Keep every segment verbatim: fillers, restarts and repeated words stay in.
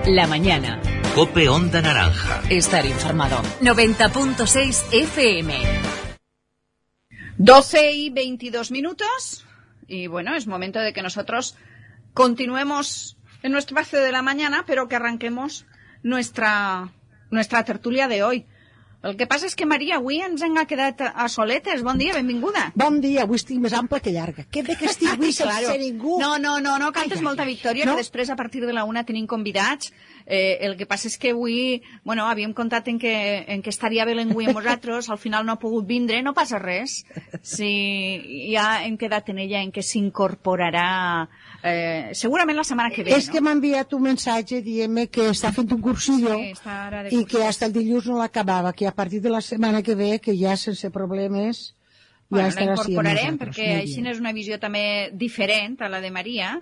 La mañana. COPE Onda Naranja. Estar informado. noventa punto seis F M. doce y veintidós minutos. Y bueno, es momento de que nosotros continuemos en nuestro espacio de la mañana, pero que arranquemos nuestra, nuestra tertúlia de hoy. El que passa és que, Maria, avui ens hem quedat a soletes. Bon dia, benvinguda. Bon dia, avui estic més ample que llarga. Què bé que estic avui sense claro. ningú. No, no, no, no cantes ai, molta victòria, no? Que després, a partir de la una, tenim convidats. Eh, el que passa és que avui, bueno, havíem comptat en que, en que estaria bé l'engui amb vosaltres, al final no ha pogut vindre, no passa res. Sí, ja hem quedat en ella, en que s'incorporarà eh, segurament la setmana que ve, és no? que m'ha enviat un mensatge dient-me que està fent un cursillo sí, de i que fins el dilluns no l'acabava, que a partir de la setmana que ve, que ja sense problemes, bueno, ja estarà així amb nosaltres. Perquè Muy així bien. és una visió també diferent a la de Maria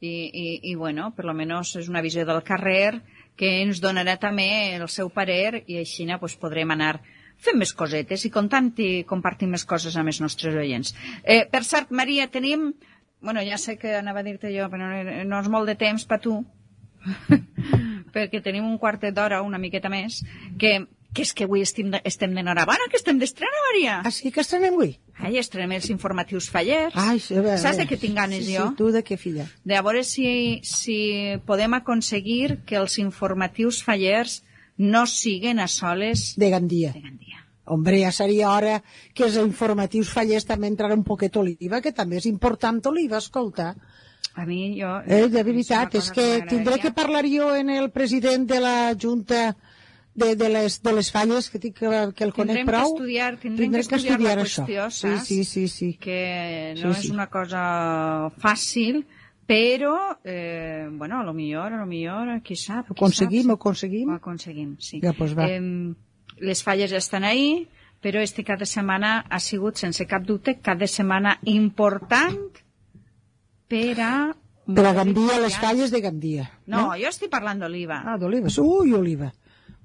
i, i, i bueno, per lo menos és una visió del carrer que ens donarà també el seu parer i així pues, podrem anar fent més cosetes i comptant i compartint més coses amb els nostres oients. Eh, per cert, Maria, tenim... Bueno, ja sé que anava a dir-te jo, però no, no és molt de temps per tu, perquè tenim un quartet d'hora, una miqueta més, que, que és que avui estem, de, estem d'enhorabona, que estem d'estrena, Maria. Ah, sí que estrenem avui? Ai, estrenem els informatius fallers. Ai, sí, bé, saps bé. de què tinc ganes sí, jo? Sí, tu de què, filla? De a veure si, si podem aconseguir que els informatius fallers no siguen a soles de Gandia. De Gandia. Hombre, ja seria hora que els informatius fallers també entrara un poquet Oliva, que també és important Oliva, escolta. A mi, jo... Eh, de veritat, és, és que tindré que parlar jo en el president de la Junta de, de, les, de les falles, que, tinc, que, que el conec tindrem prou. Que estudiar, tindrem que estudiar, que estudiar la qüestió, això. saps? Sí, sí, sí, sí. Que no sí, és sí. una cosa fàcil, però, eh, bueno, a lo millor, a lo millor, qui sap, qui ho aconseguim, sap, ho aconseguim. Ho aconseguim, sí. Ja, pues va. Eh, les falles estan ahí, però este cada setmana ha sigut, sense cap dubte, cada setmana important per a... Per a Gandia, les falles de Gandia. No, no? Jo estic parlant d'Oliva. Ah, d'Olives. Ui, Oliva.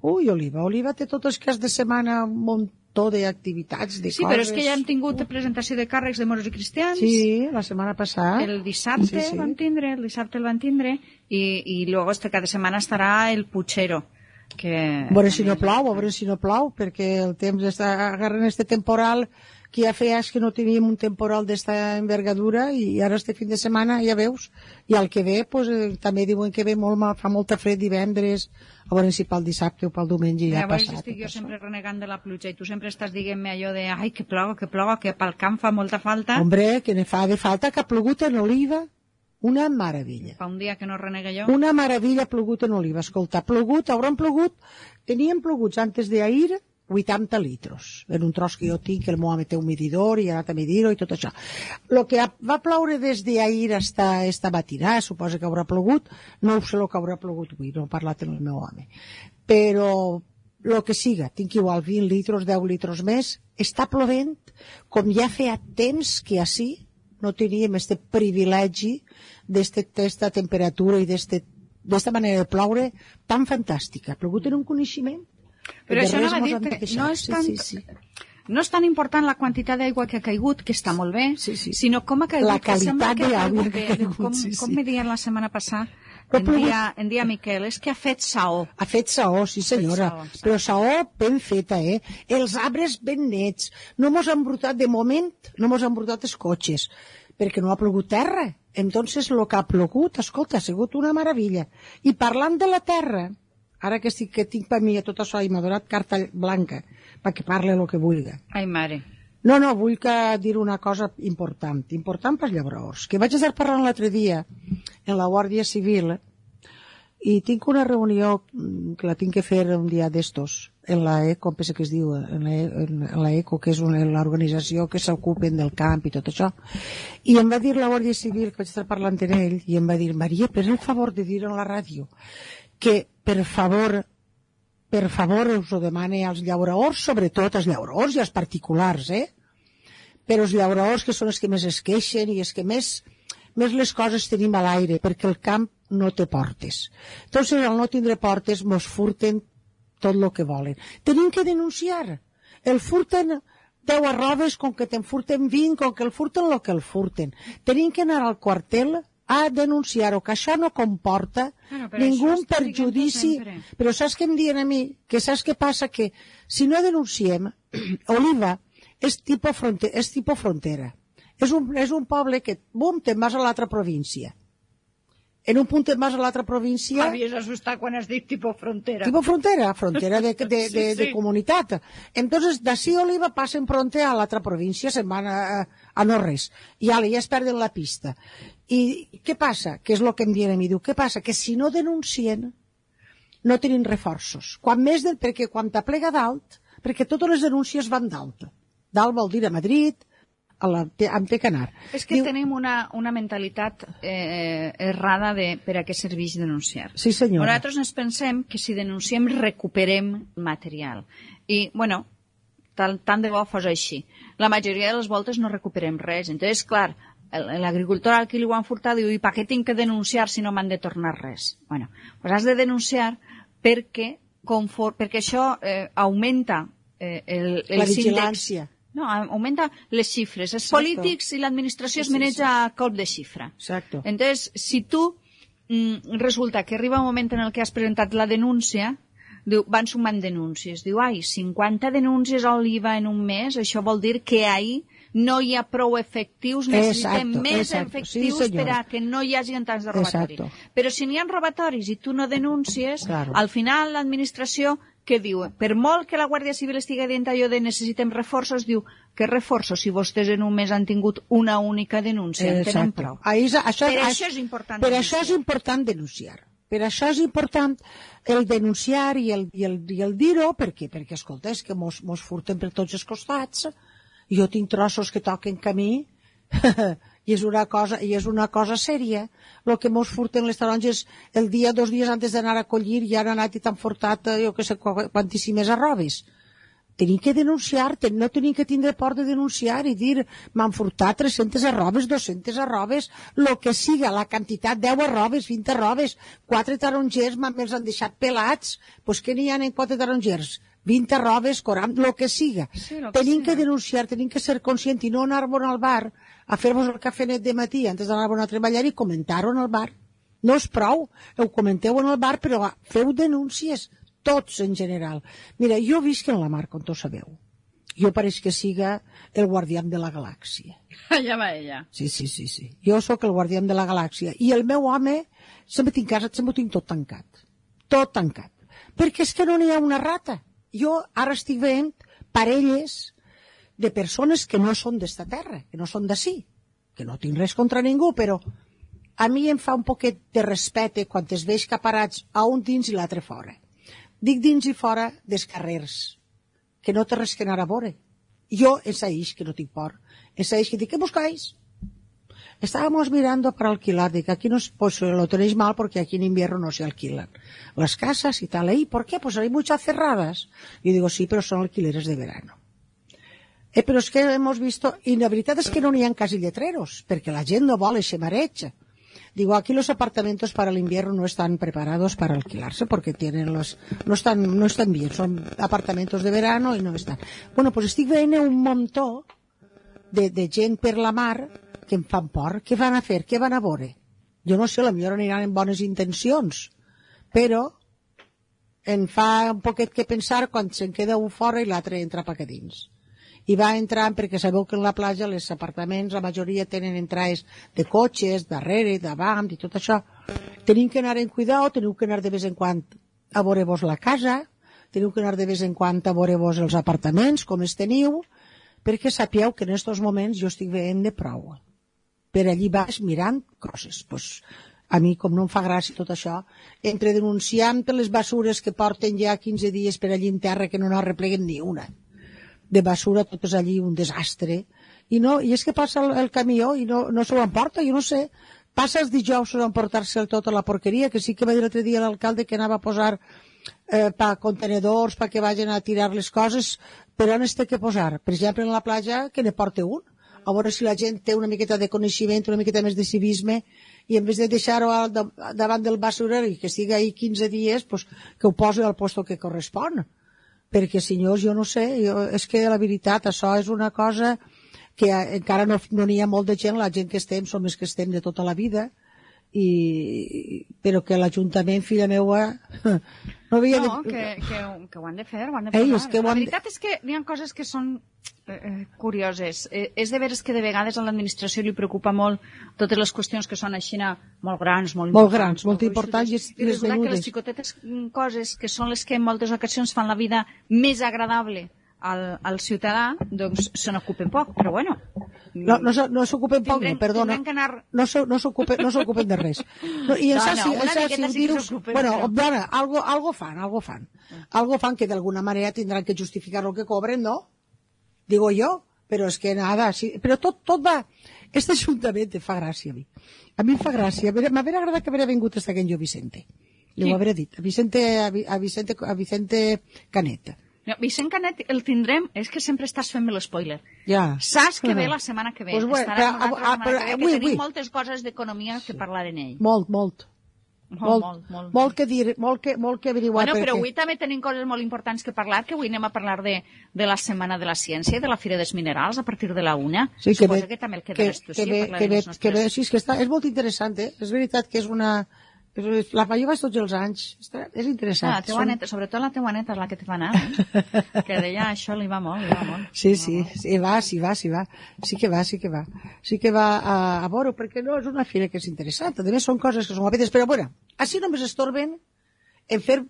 Ui, Oliva. Oliva té tot el cas de setmana un muntó d'activitats, de sí, coses. Però és que ja hem tingut uh. presentació de càrrecs de moros i cristians. Sí, la setmana passada. El dissabte sí, sí. vam tindre, el dissabte el van tindre, i, i luego este cada setmana estarà el Puchero. Que a veure si no plou, a veure si no plou, perquè el temps està agarrant este temporal que ja feia que no teníem un temporal d'esta envergadura i ara este fin de setmana ja veus, i el que ve pues, eh, també diuen que ve molt mal, fa molta fred divendres, a veure si pel dissabte o pel diumenge ja ha passat. Llavors estic jo sempre renegant de la pluja i tu sempre estàs dient-me allò de ai, que ploga, que ploga, que pel camp fa molta falta. Hombre, que ne fa de falta, que ha plogut en Oliva. Una meravella. Fa un dia que no renega jo. Una meravella ha plogut en Oliva. Escolta, ha plogut, hauran plogut, teníem ploguts antes d'ahir vuitanta litros. En un tros que jo tinc, que el meu home té un medidor i ha anat a medir-ho i tot això. El que va ploure des d'ahir hasta esta matinà, suposa que haurà plogut, no ho sé el que haurà plogut avui, no he parlat amb el meu home. Però el que siga, tinc igual vint litros, deu litros més, està plovent com ja feia temps que així no teníem este privilegi d'esta temperatura i d'esta manera de ploure tan fantàstica. Ha plogut en un coneixement. Però això no va dir que no és tan... Sí, sí, sí. No és tan important la quantitat d'aigua que ha caigut, que està molt bé, sí, sí. sinó com ha caigut. La qualitat d'aigua que ha caigut, com, sí, sí. Com me deien la setmana passada, en dia, en dia Miquel, és que ha fet saó. Ha fet saó, sí senyora, saó, saó. Però saó ben feta, eh? Els arbres ben nets. No mos han embrutat, de moment, no mos han embrutat els cotxes, perquè no ha plogut terra. Entonces, el que ha plogut, escolta, ha sigut una meravella. I parlant de la terra, ara que, estic, que tinc per mi tot això i m'ha donat carta blanca perquè parli el que vulgui. Ai, mare. No, no, vull que dir una cosa important, important pels llauradors, que vaig estar parlant l'altre dia en la Guàrdia Civil i tinc una reunió que la tinc que fer un dia d'estos en la ECO, penso que es diu en la, en la ECO, que és l'organització que s'ocupen del camp i tot això, i em va dir la Guàrdia Civil, que vaig estar parlant amb ell, i em va dir, Maria, per el favor de dir en la ràdio que per favor per favor us ho demane als llauradors, sobretot als llauradors i als particulars, eh? Però els llauradors que són els que més es queixen i els que més, més les coses tenim a l'aire, perquè el camp no té portes. Entonces, al no tindre portes, mos furten tot el que volen. Tenim que denunciar. El furten deu arroves, com que te'n furten vint, com que el furten el que el furten. Tenim que anar al quartel a denunciar-ho, que això no comporta bueno, ningú perjudici. Però saps què em diuen a mi? Que saps què passa? Que si no denunciem, Oliva és tipus fronte, és tipus frontera. És un, és un poble que, bum, te'n vas a l'altra província. En un punt te'n vas a l'altra província... M'havies assustat quan has dit tipus frontera. Tipus frontera, frontera de, de, de, sí, sí. de comunitat. Entonces, d'ací Oliva passen fronte a l'altra província, se'n van a, a no res. I ja, ja es perden la pista. I què passa? Que és el que em diuen a mi. Diu, què passa? Que si no denuncien, no tenen reforços. Quan més del, perquè quan t'aplega dalt, perquè totes les denúncies van dalt. Dalt vol dir a Madrid, a la, amb té que anar. És que Diu, tenim una, una mentalitat eh, errada de per a què serveix denunciar. Sí, senyora. Nosaltres ens pensem que si denunciem recuperem material. I, bueno, tant, tant de bo fos així. La majoria de les voltes no recuperem res. Entonces, clar, l'agricultor al que li ho han furtat diu, i per què tinc que denunciar si no m'han de tornar res? Bueno, pues has de denunciar perquè, confort, perquè això eh, augmenta eh, el, el la vigilància. Índex. No, augmenta les xifres. Els Exacto. polítics i l'administració es maneja sí, sí. a cop de xifra. Exacto. Entonces, si tu mm, resulta que arriba un moment en el que has presentat la denúncia, diu, van sumant denúncies. Diu, ai, cinquanta denúncies a Oliva en un mes, això vol dir que ahí no hi ha prou efectius, necessitem exacto, més exacto. efectius sí, per a que no hi hagi tants de robatori. Exacto. Però si n'hi ha robatoris i tu no denuncies, claro. al final l'administració què diu? Per molt que la Guàrdia Civil estigui dient allò de necessitem reforços, diu que reforços si vostès en un mes han tingut una única denúncia. En tenen prou. Ahí, això, per això és important per denunciar. això és important denunciar. Per això és important el denunciar i el, i el, i el dir-ho, perquè, perquè escolta, és que mos, mos furten per tots els costats. Jo tinc trossos que toquen camí i és una cosa, i és una cosa sèria. El que mos furten les taronges el dia, dos dies antes d'anar a collir, ja han anat i t'han furtat, jo que sé, quantíssimes arrobes. Tenim que denunciar, no tenim que tindre por de denunciar i dir, m'han furtat tres-centes arrobes, dues-centes arrobes, el que siga, la quantitat, deu arrobes, vint arrobes, quatre tarongers me'ls han deixat pelats, doncs què n'hi ha en quatre tarongers? vint arrobes, quaranta, el que siga. Sí, lo que tenim siga. que denunciar, tenim que ser conscients i no anar-vos al bar a fer-vos el cafenet de matí antes d'anar-vos a treballar i comentar-ho en el bar. No és prou, ho comenteu en el bar, però feu denúncies, tots en general. Mira, jo visc en la mar, com tots sabeu. Jo pareix que siga el guardián de la galàxia. Allà va ella. Sí, sí, sí, sí. Jo sóc el guardián de la galàxia. I el meu home, sempre tinc casa, sempre ho tinc tot tancat. Tot tancat. Perquè és que no n'hi ha una rata. Jo ara estic veient parelles de persones que no són d'esta terra, que no són d'ací, que no tinc res contra ningú, però a mi em fa un poquet de respecte quan es veig caparats a un dins i l'altre fora. Dic dins i fora dels carrers, que no té res que anar a veure. Jo ensaïx que no tinc por, ensaïx que dic, ¿qué buscáis? Estábamos mirando para alquilar, digo, aquí no, pues lo tenéis mal porque aquí en invierno no se alquilan las casas y tal. ¿Y por qué? Pues hay muchas cerradas. Y digo, sí, pero son alquileres de verano. Eh, pero es que hemos visto, y la verdad es que no n'hi ha casi letreros, porque la gent no vol ese mareig. Digo, aquí los apartamentos para el invierno no están preparados para alquilarse porque tienen los, no están, no están bien, son apartamentos de verano y no están. Bueno, pues estic veient un muntó de, de gent per la mar que em fan por. Què van a fer? Què van a veure? Jo no sé, potser aniran amb bones intencions, però em fa un poquet que pensar quan se'n queda un fora i l'altre entra pa que dins. I va entrant perquè sabeu que en la platja els apartaments, la majoria tenen entrades de cotxes, darrere, davant i tot això. Tenim que anar en cuidado, teniu que anar de vez en quan a veure-vos la casa, teniu que anar de vez en quan a veure-vos els apartaments, com es teniu, perquè sapieu que en aquests moments jo estic veient de prou. Per allí vas mirant coses. Pues, a mi, com no em fa gràcia tot això, entre denunciant per les basures que porten ja quinze dies per allí en terra que no n'arrepleguen ni una. De basura, tot és allí un desastre. I, no, i és que passa el, el camió i no, no s'ho emporta, jo no sé. Passa els dijous a emportar-se tota la porqueria, que sí que va dir l'altre dia l'alcalde que anava a posar eh, pa contenedors, pa que vagin a tirar les coses, però on es té que posar? Per exemple, en la platja, que ne porte un. A veure si la gent té una miqueta de coneixement, una miqueta més de civisme, i en vez de deixar-ho davant del basurer i que siga ahí quinze dies, pues, que ho posi al posto que correspon. Perquè, senyors, jo no sé, jo, és que la veritat, això és una cosa que encara no n'hi no ha molt de gent, la gent que estem som els que estem de tota la vida, i, però que l'Ajuntament, filla meua, no havia No, de... que, que, que ho han de fer, ho han de Ei, posar. és que ho La han de- veritat és que hi ha coses que són eh, curioses. Eh, és de veres que de vegades a l'administració li preocupa molt totes les qüestions que són així molt grans, molt, Molt importants. grans, molt importants, gruixudes. i I les resulta que menudes. les xicotetes mm, coses que són les que en moltes ocasions fan la vida més agradable al, al ciutadà, doncs se n'ocupen poc, però bueno. No, no, s'o- no s'ocupen poc, Tindrem- no, perdona. tindrem que anar- No s'o- no s'ocupen no s'ocupen de res. No, I en No, Sassi, no, en una Sassi, miqueta sí que dir-ho- s'ocupen, bueno, però- dona, algo, algo fan, algo fan. Algo fan que d'alguna manera tindran que justificar el que cobren, ¿no? Digo yo, però és que nada, sí, però tot, tot va... Este ajuntament em fa gràcia a mi. A mi em fa gràcia. M'hauria agradat que haguera vingut hasta aquell jo Vicente. Li ho hauré dit. A Vicente, a, Vi- a Vicente, a Vicente Canet. No, Vicent Canet el tindrem, és que sempre estàs fent-me l'espoiler. Ja. Saps que ve la setmana que ve. Pues bueno, Estarà però, amb nosaltres la ah, setmana però, que ve, avui, que tenim avui. moltes coses d'economia que parlar en ell. Molt, molt. Molt, Molt, molt, molt. molt que dir, molt que, molt que averiguar. Bueno, però perquè- avui també tenim coses molt importants que parlar, que avui anem a parlar de, de la Setmana de la Ciència i de la Fira dels Minerals a partir de la una. Sí, que Suposo ve, que també el que, quedaràs tu, que sí, ve, a parlar que de ve, les que ve, nostres... sí, és que està, és molt interessant, eh? És veritat que és una... és- La jo vaig tots els anys, està, és interessant. Ah, la teua Són- neta, sobretot la teua neta és la que te fa anar, eh? Que deia això li va molt, li va molt. Sí, sí, sí, va, sí va, sí va. Sí que va, sí que va. Sí que va a, a veure, perquè no, és una fira que és interessant. A més, són coses que són guapetes, però bueno, així només estorben en fer...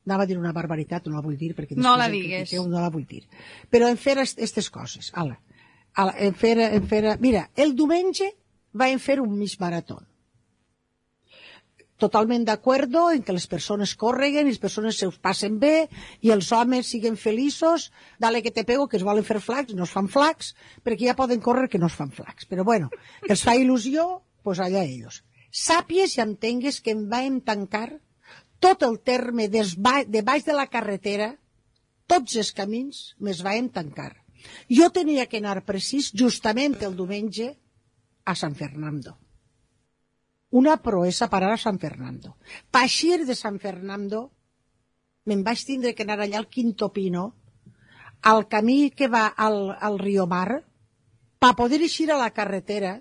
Anava a dir una barbaritat, no la vull dir, perquè No després la em digues. critiqueu, no la vull dir. Però en fer aquestes coses, ala, ala, en fer, en fer... Mira, el diumenge va en fer un mig marató. Totalment d'acuerdo en que les persones correguen i les persones se us passen bé i els homes siguen feliços, dale que te pego, que es volen fer flacs, no es fan flacs, perquè ja poden córrer que no es fan flacs. Però bueno, que els fa il·lusió, pues allà ells. Sàpies i entengues que em vam tancar tot el terme des ba- de baix de la carretera, tots els camins me'ls vam tancar. Jo tenia que anar precís justament el diumenge a San Fernando. Una proesa parar a San Fernando. Paixir de San Fernando, me'n vaig tindre que anar allà al Quinto Pino, al camí que va al, al Rio Mar, per poder eixir a la carretera,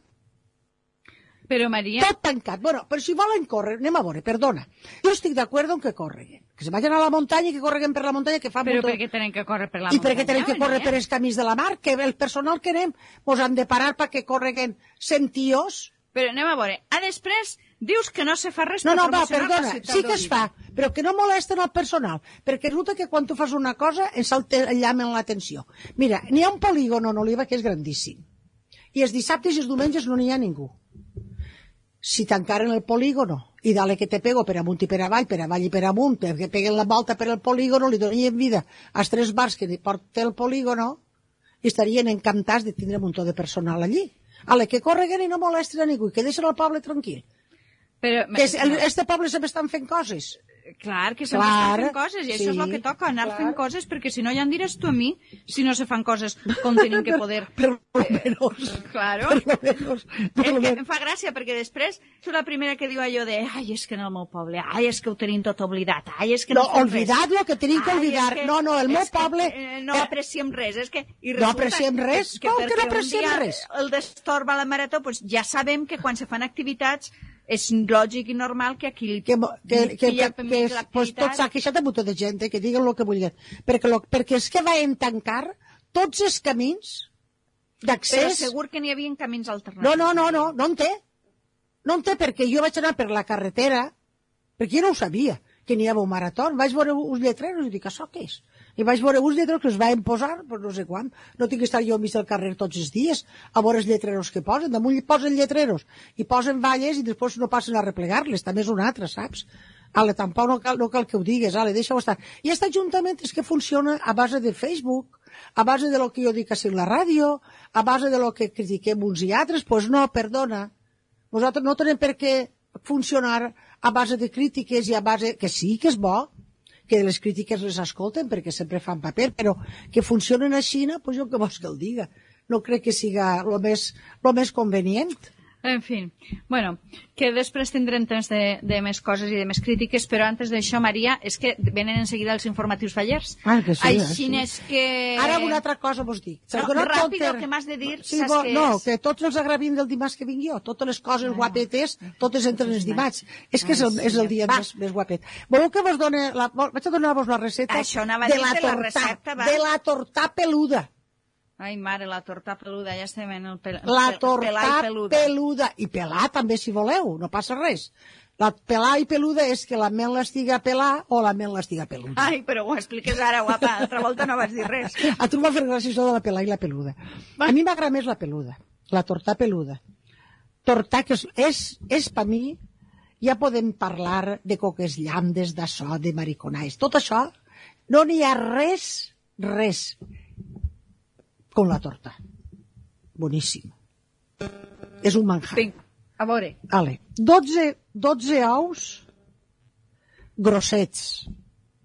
Però, Maria... tot tancat. Bueno, però si volen córrer, anem a veure, perdona. Jo estic d'acord en que correguen. Que se vagin a la muntanya i que correguen per la muntanya, que fan Però molta- per què tenen que córrer per la I muntanya? per què tenen que córrer Maria? per els camins de la mar? Que el personal que anem mos han de parar perquè correguen cent tios? Però anem a veure. A després dius que no se fa res No, per no, va, promocionar perdona, la ciutat sí que es d'Oviedo. fa, però que no molesten el personal, perquè resulta que quan tu fas una cosa ens el llamen l'atenció. Mira, n'hi ha un polígono en Oliva que és grandíssim, i els dissabtes i els diumenges no n'hi ha ningú. Si tancaren el polígono, i dale que te pego per amunt i per avall, per avall i per amunt, perquè peguen la volta per el polígono, li donen vida als tres bars que porta el polígono, i estarien encantats de tindre un muntó de personal allí. Ale, que correguen i no molesten a ningú, i que deixen el poble tranquil. Però, Que és, el, este poble sempre estan fent coses. clar, que sempre Clar, estan fent coses, i això és sí, el que toca, anar clar. fent coses, perquè si no ja em diràs tu a mi si no se fan coses com tenim que poder... Per lo menos. Claro. Per lo menos. Per És lo que menos. em fa gràcia, perquè després soc la primera que diu allò de ai, és que en el meu poble, ai, és que ho tenim tot oblidat, ai, és que no, No, fem olvidad res. lo que tenim que Ai, olvidar. és que- No, no, el meu és que, poble- eh, no eh, apreciem res, és que... I No resulta apreciem res? Com que no perquè un apreciem dia res? El destorba la marató, doncs ja sabem que quan se fan activitats és lògic i normal que aquí que, mo- que, que, pilla que, per que mig és, pues, l'activitat. tot s'ha queixat de muntó de gent, eh, que diguen el que vulguin. Perquè, lo, perquè és que van tancar tots els camins Però d'accés. segur que n'hi havia camins alternatius. No, no, no, no, no en té. No en té perquè jo vaig anar per la carretera, perquè jo no ho sabia, que n'hi havia un marató. Vaig veure uns lletreros i dic, això què és? I vaig veure uns lletreros que es van posar, pues no sé quan. No tinc que estar jo al mig del carrer tots els dies a veure els lletreros que posen. Damunt posen lletreros i posen valles i després no passen a replegar-les. També és una altra, saps? Ale, tampoc no cal, no cal que ho digues, ale, deixa-ho estar. I aquest ajuntament és que funciona a base de Facebook, a base de lo que jo dic així en la ràdio, a base de lo que critiquem uns i altres. Pues no, perdona. Nosaltres no tenim per què funcionar a base de crítiques i a base... Que sí, que és bo, que les crítiques les escolten perquè sempre fan paper, però que funcionen així, pues jo què vols que el diga? No crec que siga el més, lo més convenient. En fi, bueno, que després tindrem temps de, de més coses i de més crítiques, però antes d'això, Maria, és que venen en seguida els informatius fallers. Ah, que sí, Així eh, és que... Ara una altra cosa vos dic. No, ràpid, el que m'has de dir, sí, saps bo, què no, és? que tots els agravim del dimarts que vinc jo, totes les coses ah, guapetes, totes entren els dimarts. És que és el, és el dia més, més guapet. Voleu que vos done... La, vaig a donar-vos la recepta Això anava a de dir la de la torta, recepta, va. de la torta peluda. Ai, mare, la torta peluda, ja estem en el pel... La pel- torta pelar i peluda. peluda. I pelar també, si voleu, no passa res. La pelar i peluda és que la mel estiga pelar o la mel estiga peluda. Ai, però ho expliques ara, guapa, l'altra volta no vas dir res. A tu m'ha fet gràcia això de la pelar i la peluda. A mi m'agrada més la peluda, la torta peluda. Torta que és, és, és per mi, ja podem parlar de coques llamdes, d'açò, de mariconais. Tot això, no n'hi ha res, res, com la torta. Boníssim. És un manjar. Vinc, a veure. Vale. dotze, dotze ous grossets,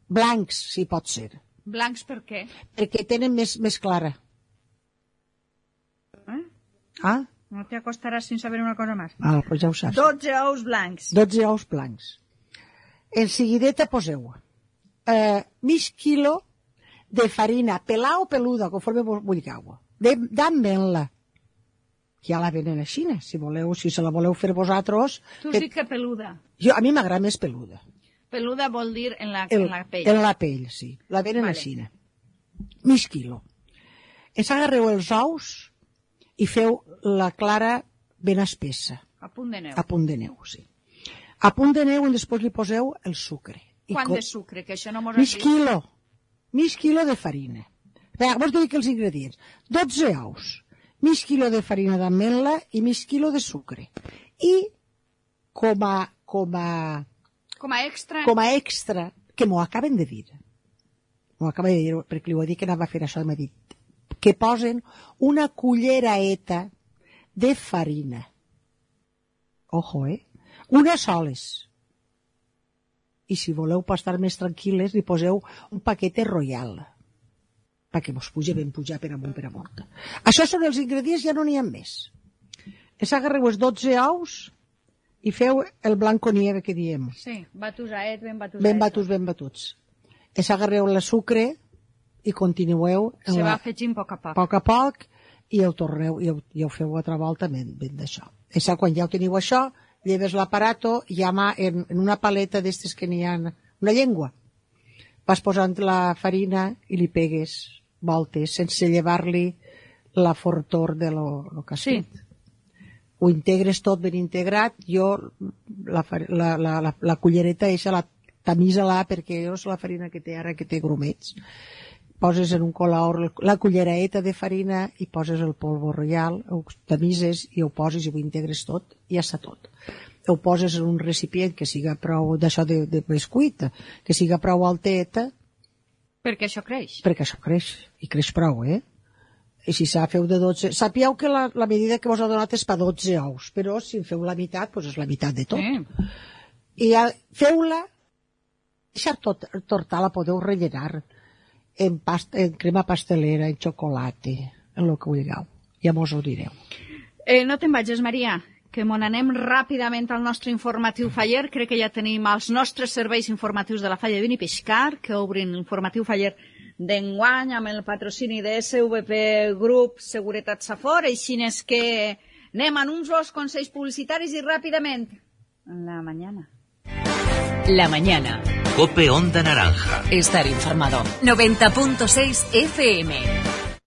blancs, si pot ser, Blancs per què? perquè tenen més, més clara. Eh? Ah? No te acostaràs sin saber una cosa més. Ah, pues ja ho saps. Dotze ous blancs. dotze ous blancs. En seguideta poseu eh, mig quilo de farina, pelà o peluda, conforme vos vulgueu, d'ametla. Ja la venen així, si voleu, si se la voleu fer vosaltres. Tu has dit que peluda. Jo, a mi m'agrada més peluda. Peluda vol dir en la, El, en la pell. En la pell, sí. La venen Vale. així. Mig quilo. Es agarreu els ous i feu la clara ben espessa. A punt de neu. A punt de neu, sí. A punt de neu i després li poseu el sucre. I Quant co- de sucre? Que això no mos has Mig dit. quilo. Mig quilo de farina. Vinga, vos dic els ingredients. dotze ous, mig quilo de farina d'ametla i mig quilo de sucre. I com a, com a, Com a extra... com a extra, que m'ho acaben de dir, m'ho acaben de dir, perquè li ho he dit que anava a fer això, m'ha dit que posen una culleraeta de farina. Ojo, eh? Unes soles. I si voleu per estar més tranquil·les, li poseu un paquet royal, perquè vos puja ben pujar per amunt per amunt. Això són els ingredients, ja no n'hi ha més. Es agarreu els dotze ous i feu el blanco nieve que diem. Sí, batusaet, ben batusaet. Ben batuts, ben batuts. Es agarreu el sucre i continueu en Se la, va afegint a poc a poc. poc a poc i ho torneu i ho, i ho feu altra volta ben, ben d'això. És quan ja ho teniu això, lleves l'aparato i ama en, en una paleta d'estes que n'hi ha, una llengua. Vas posant la farina i li pegues voltes sense llevar-li la fortor de lo, lo que has Sí. fet. Ho integres tot ben integrat. Jo la, far- la, la, la, la cullereta eixa la tamisa-la perquè és la farina que té ara que té grumets. Poses en un colaor la culleraeta de farina i poses el polvo royal, ho tamises i ho poses i ho integres tot i ja està tot. Ho poses en un recipient que siga prou d'això de, de bescuit, que siga prou alteta, Perquè això creix. perquè això creix, i creix prou, eh? I si s'ha feu de dotze... Sapieu que la, la medida que vos ha donat és per dotze ous, però si en feu la meitat, doncs és la meitat de tot. Sí. I ja, feu-la, deixar tot, torta la podeu rellenar en, pasta, en crema pastelera, en xocolata, en el que vulgueu. Ja mos ho direu. Eh, no te'n vagis, Maria, que mon anem ràpidament al nostre informatiu faller. Crec que ja tenim els nostres serveis informatius de la Falla de Vini Pescar, que obrin l'informatiu faller d'enguany amb el patrocini de S V P Group Seguretat Safor. Així és que anem a uns consells publicitaris i ràpidament. La mañana. La mañana. Cope Onda Naranja. Estar informado. noventa punto seis F M.